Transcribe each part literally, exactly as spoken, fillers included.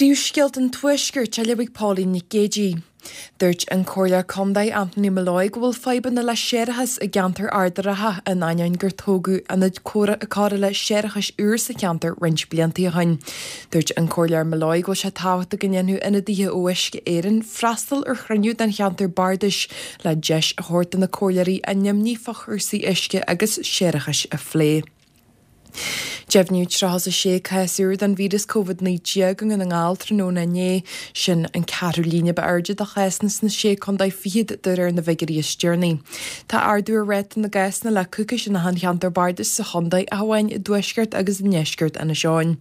Príomhscéalta an Tuaiscirt á léamh ag Pauline Nic Géadaigh. Dúirt an Comhairleoir Contae Anthony Molloy go bhfuil fadhbanna le séarachas i gceantar Ard an Rátha in ainneoin gur tógadh ionad cóireála séarachais úr sa cheantar roinnt blianta ó shin. Dúirt an Comhairleoir Molloy go bhfuil sé tábhachtach go ndéanfadh ionadaithe ó Uisce Éireann freastal ar chruinniú den cheantar bardais le deis a thabhairt do na comhairleoirí a n-imní fá chúrsaí uisce agus séarachais a phlé. Deimhníodh tríocha a sé cás úr den víreas Covid naoi déag i nDún na nGall tráthnóna inné, sin an ceathrú líne ba airde de chásanna sna sé contae fichead de réir na bhfigiúirí is deireanaí. Tá ardú ar ráta na gcásanna le coicís in achan cheantar bardais sa chontae ach amháin i dtuaisceart agus i ndeisceart Inis Eoghain.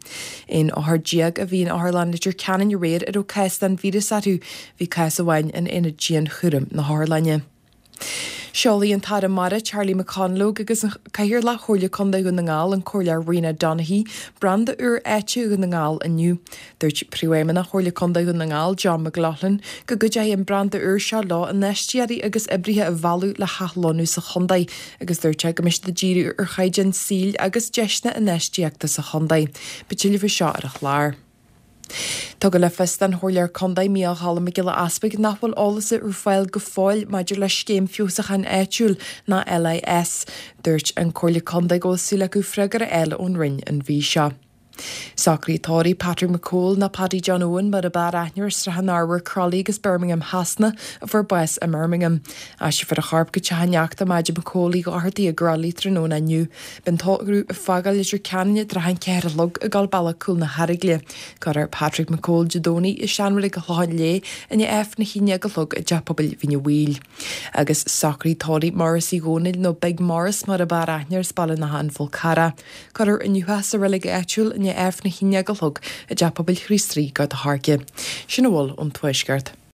Aon othar déag a bhí in Otharlann Leitir Ceanainn aréir a raibh cás den víreas orthu, bhí cás amháin in aonad dianchúraim na hotharlainne. Seolfaidh an tAire Mara Charlie McConalogue agus an Cathaoirleach Chomhairle Contae Dhún na nGall an Comhairleoir Rena Donaghey branda úr áite Dhún na nGall inniu. Dúirt Príomhfheidhmeannach Chomhairle Contae Dhún na nGall John McLaughlin go gcuideoidh an branda úr seo leo infheisteoirí agus oibrithe a mhealladh le hathlonnú sa chontae agus dúirt sé go mbeidh siad ag díriú ar chaighdeán saoil agus deiseanna infheistíochta sa chontae. Beidh tuilleadh faoi seo ar an chlár. Tugadh le fios don Chomhairleoir Contae Mícheál Choilm Mac Giolla Easpaig nach bhfuil eolas ar fáil go fóill maidir le scéim feabhsúcháin áitiúil ná LIS. Dúirt an Comhairle Contae go bhfuil súil acu freagra a fháil ón Roinn an mhí seo. Socruithe tórraimh Patrick McCole nó Paddy John Owen mar ab fhearr aithne air as Srath an Arbhair Crolly agus Birmingham Shasana a fuair bás i mBirmingham. Aistreofar a chorp go teach a neachta Maide McCole Uí Dhochartaigh i gCrolly tráthnóna inniu. Beidh an tórramh ag fágáil Leitir Ceanainn i dtrátha an ceathair a chlog ag dul bealach Cúl na hEaragle. Cuirfear Patrick McCole Dé Domhnaigh i seanreilig an Chlocháin Léith i ndiaidh Aifreann a haon déag a chlog i dTeach Pobail Mhín an Mhaoil. Agus socruithe tórraimh Maurice Uí Dhónaill nó Big Maurice mar ab fhearr aithne air as Baile an Átha an Fhál Carrach. Cuirfear inniu é sa reilig áitiúil i ndiaidh Aifreann a haon déag a chlog i dTeach Pobail Chríost Rí Gort a' Choirce. Sin a bhfuil ón Tuaisceart.